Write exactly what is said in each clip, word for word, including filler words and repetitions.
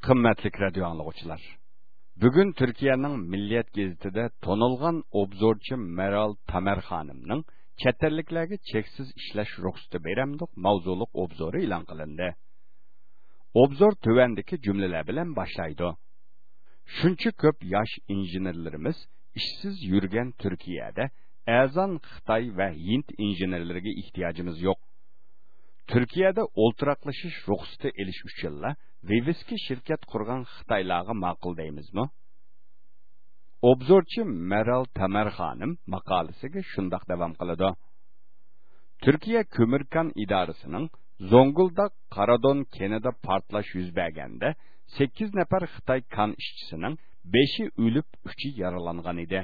قىممەتلىك رادىيو ئاڭلىغۇچىلار! بۈگۈن تۈركىيەنىڭ مىللىيەت گېزىتىدە تونۇلغان ئوبزورچى مەرال تامەر خانىمنىڭ چەت ئەللىكلەرگە چەكسىز ئىشلەش رۇخسىتى بېرەمدۇق ماۋزۇلۇق ئوبزورى ئېلان قىلىندى. ئوبزور تۆۋەندىكى جۈملىلەر بىلەن باشلايدۇ. شۇنچە كۆپ ياش ئىنژېنېرلىرىمىز ئىشسىز يۈرگەن تۈركىيەدە ئەرزان خىتاي ۋە ھىند ئىنژېنېرلىرىگە ئېھتىياجىمىز يوق. تۈركىيەدە ئولتۇراقلىشىش رۇخسىتى ئېلىش ئۈچۈنلا ۋىۋىسكا شىركەت قۇرغان خىتايلارغا ماقۇل دەيمىزمۇ؟ ئوبزورچى مەرال تامەر خانىم ماقالىسىگە شۇنداق داۋام قىلىدۇ. تۈركىيە كۆمۈر كان ئىدارىسىنىڭ زوڭگۇلداق قارادون كېنىدا پارتلاش يۈز بەرگەندە، سەككىز نەپەر خىتاي كان ئىشچىسىنىڭ بەشى ئۆلۈپ، ئۈچى يارىلانغان ئىدى.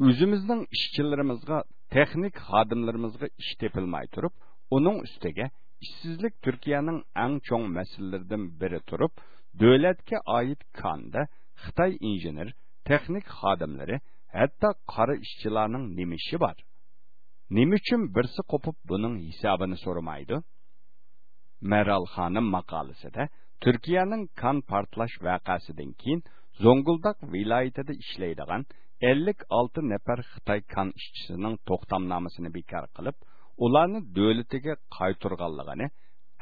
ئۆزىمىزنىڭ ئىشچىلىرىمىزغا، تېخنىك خادىملىرىمىزغا ئىش تېپىلماي تۇرۇپ، ئۇنىڭ ئۈستىگە ئىشسىزلىك تۈركىيەنىڭ ئەڭ چوڭ مەسىلىلىرىدىن بىرى تۇرۇپ، دۆلەتكە ئائىت كاندا خىتاي ئىنژېنېر، تېخنىك خادىملىرى، ھەتتا قارا ئىشچىلارنىڭ نېمە ئىشى بار؟ نېمە ئۈچۈن بىرسى قوپۇپ بۇنىڭ ھېسابىنى سورىمايدۇ؟ مەرال خانىم ماقالىسىدە تۈركىيەنىڭ كان پارتلاش ۋەقەسىدىن كېيىن زوڭگۇلداق ۋىلايىتىدە ئىشلەيدىغان ئەللىك ئالتە نەپەر خىتاي كان ئىشچىسىنىڭ توختامنامىسىنى بىكار قىلىپ، ئۇلارنى دۆلىتىگە قايتۇرغانلىقىنى،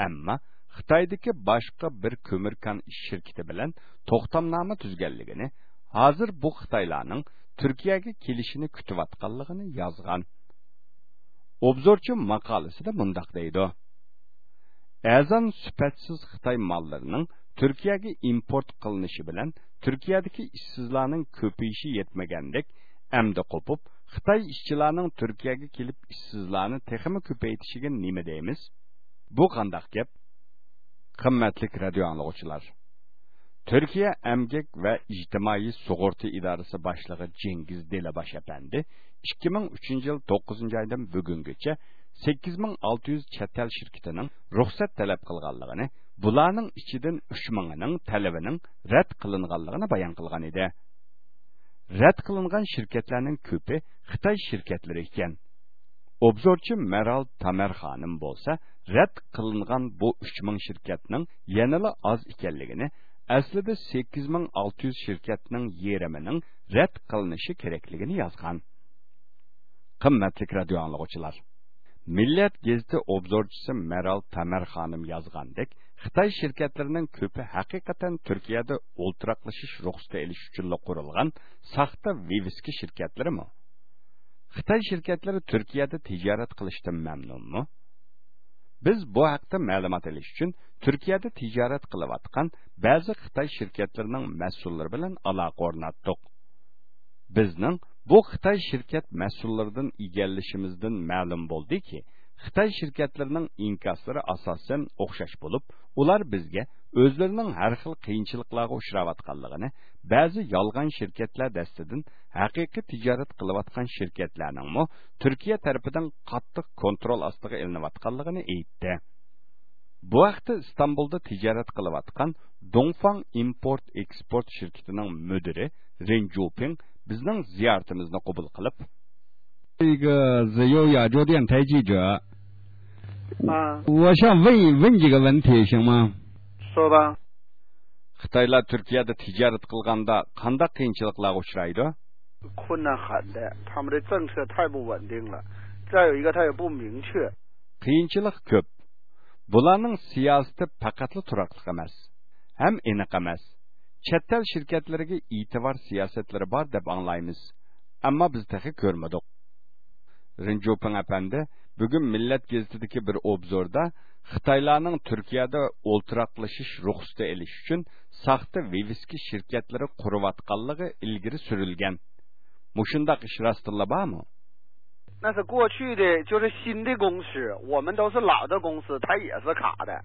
ئەمما خىتايدىكى باشقا بىر كۆمۈر كان شىركىتى بىلەن توختامنامە تۈزگەنلىكىنى، ھازىر بۇ خىتايلارنىڭ تۈركىيەگە كېلىشىنى كۈتۈۋاتقانلىقىنى يازغان. ئوبزورچى ماقالىسىدە مۇنداق دەيدۇ: ئەرزان سۈپەتسىز خىتاي ماللىرىنىڭ تۈركىيەگە ئىمپورت قىلىنىشى بىلەن تۈركىيەدىكى ئىشسىزلارنىڭ كۆپىيىشى يەتمىگەندەك، ئەمدى قوپۇپ، خىتاي ئىشچىلارنىڭ تۈركىيەگە كېلىپ ئىشسىزلارنى تېخىمۇ كۆپەيتىشىگە نېمە دەيمىز؟ بۇ قانداق گەپ؟ قىممەتلىك رادىيو ئاڭلىغۇچىلار! تۈركىيە ئەمگەك ۋە ئىجتىمائىي سۇغۇرتا ئىدارىسى باشلىقى جېنگىز دېلىباش ئەپەندى ئىككى مىڭ ئۈچىنچى يىل توققۇزىنچى ئايدىن بۈگۈنگىچە سەككىز مىڭ ئالتە يۈز چەت ئەل شىركىتىنىڭ رۇخسەت تەلەپ قىلغانلىقىنى، بۇلارنىڭ ئىچىدىن ئۈچ مىڭىنىڭ تەلىپىنىڭ رەت قىلىنغانلىقىنى بايان قىلغان ئىدى. رەت قىلىنغان شىركەتلەرنىڭ كۆپى خىتاي شىركەتلىرى ئىكەن. ئوبزورچى مەرال تامەر خانىم بولسا رەت قىلىنغان بۇ ئۈچ مىڭ شىركەتنىڭ يەنىلا ئاز ئىكەنلىكىنى، ئەسلىدە سەككىز مىڭ ئالتە يۈز شىركەتنىڭ يېرىمىنىڭ رەت قىلىنىشى كېرەكلىكىنى يازغان. قىممەتلىك رادىيو ئاڭلىغۇچىلار! مىللەت گېزىتى ئوبزورچىسى مەرال تامەر خانىم يازغاندەك، خىتاي شىركەتلىرىنىڭ كۆپى ھەقىقەتەن تۈركىيەدە ئولتۇراقلىشىش رۇخسىتى ئېلىش ئۈچۈنلا قۇرۇلغان ساختا ۋىۋىسكا شىركەتلىرىمۇ؟ خىتاي شىركەتلىرى تۈركىيەدە تىجارەت قىلىشتىن مەمنۇنمۇ؟ بىز بۇ ھەقتە مەلۇمات ئېلىش ئۈچۈن تۈركىيەدە تىجارەت قىلىۋاتقان بەزى خىتاي شىركەتلىرىنىڭ مەسئۇللىرى بىلەن ئالاقە ئورناتتۇق. بىزنىڭ بۇ خىتاي شىركەت مەسئۇللىرىدىن ئىگىلىشىمىزدىن مەلۇم بولدىكى، خىتاي شىركەتلىرىنىڭ ئىنكاسلىرى ئاساسەن ئوخشاش بولۇپ، ئۇلار بىزگە ئۆزلىرىنىڭ ھەر خىل قىيىنچىلىقلارغا ئۇچراۋاتقانلىقىنى، بەزى يالغان شىركەتلەر دەستىدىن ھەقىقىي تىجارەت قىلىۋاتقان شىركەتلەرنىڭمۇ تۈركىيە تەرىپىدىن قاتتىق كونترول ئاستىغا ئېلىنىۋاتقانلىقىنى ئېيتتى. بۇ ھەقتە ئىستانبۇلدا تىجارەت قىلىۋاتقان دۇڭفاڭ ئىمپورت ئېكسپورت شىركىتىنىڭ مۇدىرى رېن جۇپىڭ بىزنىڭ زىيارىتىمىزنى قوبۇل قىلىپ، 一个自由亚洲电台记者。啊。我想问一，问几个问题，行吗？说吧。 خىتايلار تۈركىيەدە تىجارەت قىلغاندا قانداق قىيىنچىلىقلارغا ئۇچرايدۇ؟ 困难很大，他们的政策太不稳定了，再有一个他也不明确。 قىيىنچىلىق كۆپ. بۇلارنىڭ سىياسىتى پەقەتلا تۇراقلىق ئەمەس، ھەم ئېنىق ئەمەس. چەت ئەل شىركەتلىرىگە ئېتىبار سىياسەتلىرى بار دەپ ئاڭلايمىز، ئەمما بىز تېخى كۆرمىدۇق. رېن جۇپىڭ ئەپەندى بۈگۈن مىللەت گېزىتىدىكى بىر ئوبزوردا خىتايلارنىڭ تۈركىيەدە ئولتۇراقلىشىش رۇخسىتى ئېلىش ئۈچۈن ساختا ۋىۋىسكا شىركەتلىرى قۇرۇۋاتقانلىقى ئىلگىرى سۈرۈلگەن. مۇشۇنداق ئىش راستتىنلا بارمۇ؟ 那是过去的，就是新的公司，我们都是老的公司，它也是卡的。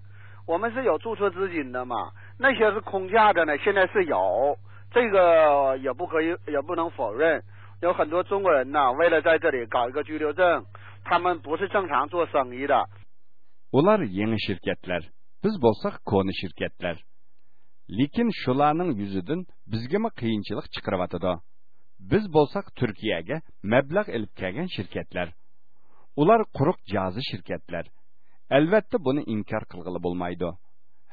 我们是有注册资金的嘛，那些是空架的呢，现在是有，这个也不可以，也不能否认。有很多中国人呢，为了在这里搞一个居留证，他们不是正常做生意的。 ئۇلار يېڭى شىركەتلەر، بىز بولساق كونا شىركەتلەر. لېكىن شۇلارنىڭ يۈزىدىن بىزگىمۇ قىيىنچىلىق چىقىرىۋاتىدۇ. بىز بولساق تۈركىيەگە مەبلەغ ئېلىپ كەلگەن شىركەتلەر. ئۇلار قۇرۇق جازا شىركەتلەر. ئەلۋەتتە، بۇنى ئىنكار قىلغىلى بولمايدۇ.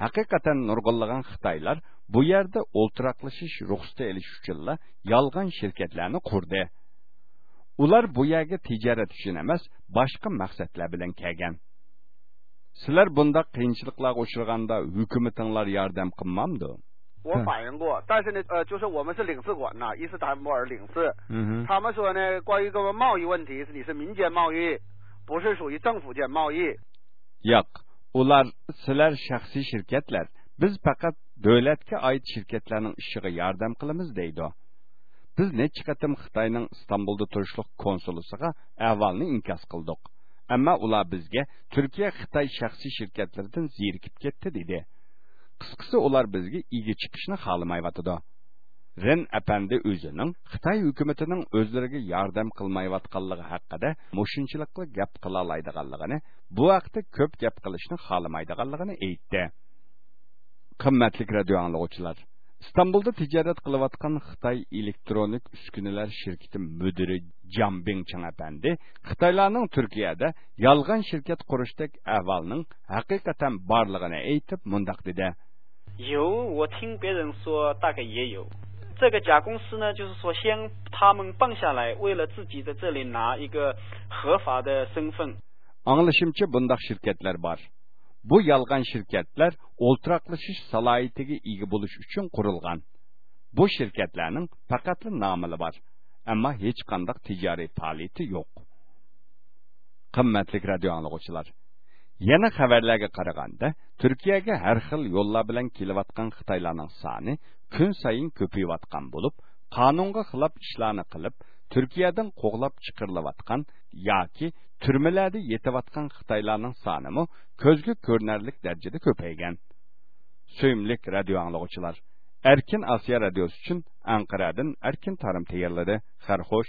ھەقىقەتەن نۇرغۇنلىغان خىتايلار بۇ يەردە ئولتۇراقلىشىش رۇخسىتى ئېلىش ئۈچۈنلا يالغان شىركەتلەرنى قۇردى. ئۇلار بۇ يەرگە تىجارەت ئۈچۈن ئەمەس، باشقا مەقسەتلەر بىلەن كەلگەن. سىلەر بۇنداق قىيىنچىلىقلارغا ئۇچرىغاندا ھۆكۈمىتىڭلار ياردەم قىلمامدۇ؟ 我反映过，但是呢，呃，就是我们是领事馆呐，伊斯坦布尔领事。嗯哼。他们说呢，关于这个贸易问题，你是民间贸易，不是属于政府间贸易。 ياق، ئۇلار سىلەر شەخسىي شىركەتلەر، بىز پەقەت دۆلەتكە ئائىت شىركەتلەرنىڭ ئىشىغا ياردەم قىلىمىز دەيدۇ. بىز نەچچە قېتىم خىتاينىڭ ئىستانبۇلدا تۇرۇشلۇق كونسۇلىسىغا ئەھۋالنى ئىنكاس قىلدۇق. ئەمما ئۇلار بىزگە تۈركىيە خىتاي شەخسىي شىركەتلىرىدىن زېرىكىپ كەتتى دېدى. قىسقىسى، ئۇلار بىزگە ئىگە چىقىشنى خالىمايۋاتىدۇ. رېن ئەپەندى ئۆزىنىڭ خىتاي ھۆكۈمىتىنىڭ ئۆزلىرىگە ياردەم قىلمايۋاتقانلىقى ھەققىدە مۇشۇنچىلىكلا گەپ قىلالايدىغانلىقىنى، بۇ ھەقتە كۆپ گەپ قىلىشنى خالىمايدىغانلىقىنى ئېيتتى. قىممەتلىك رادىيو ئاڭلىغۇچىلار، ئىستانبۇلدا تىجارەت قىلىۋاتقان خىتاي ئېلېكترونىك ئۈسكۈنىلەر شىركىتى مۇدىرى جاڭ بىڭچىڭ ئەپەندى خىتايلارنىڭ تۈركىيەدە يالغان شىركەت قۇرۇشتەك ئەھۋالنىڭ ھەقىقەتەن بارلىقىنى ئېيتىپ مۇنداق دېدى. 有，我听别人说，大概也有。这个假公司呢，就是说先他们办下来，为了自己在这里拿一个合法的身份。 ئاڭلىشىمچە، بۇنداق شىركەتلەر بار. بۇ يالغان شىركەتلەر ئولتۇراقلىشىش سالاھىيىتىگە ئىگە بولۇش ئۈچۈن قۇرۇلغان. بۇ شىركەتلەرنىڭ پەقەتلا نامىلا بار، ئەمما ھېچقانداق تىجارىي پائالىيىتى يوق. قىممەتلىك رادىيو ئاڭلىغۇچىلار، يەنە خەۋەرلەرگە قارىغاندا، تۈركىيەگە ھەر خىل يوللار بىلەن كېلىۋاتقان خىتايلارنىڭ سانى كۈنسايىن كۆپىيىۋاتقان بولۇپ، قانۇنغا خىلاپ ئىشلارنى قىلىپ، تۈركىيەدىن قوغلاپ چىقىرىلىۋاتقان ياكى تۈرمىلەردە يېتىۋاتقان خىتايلارنىڭ سانىمۇ كۆزگە كۆرۈنەرلىك دەرىجىدە كۆپەيگەن. سۆيۈملۈك رادىيو ئاڭلىغۇچىلار، ئەركىن ئاسىيا رادىيوسى ئۈچۈن ئەنقەرەدىن ئەركىن تارىم تەييارلىدى. خەير خوش.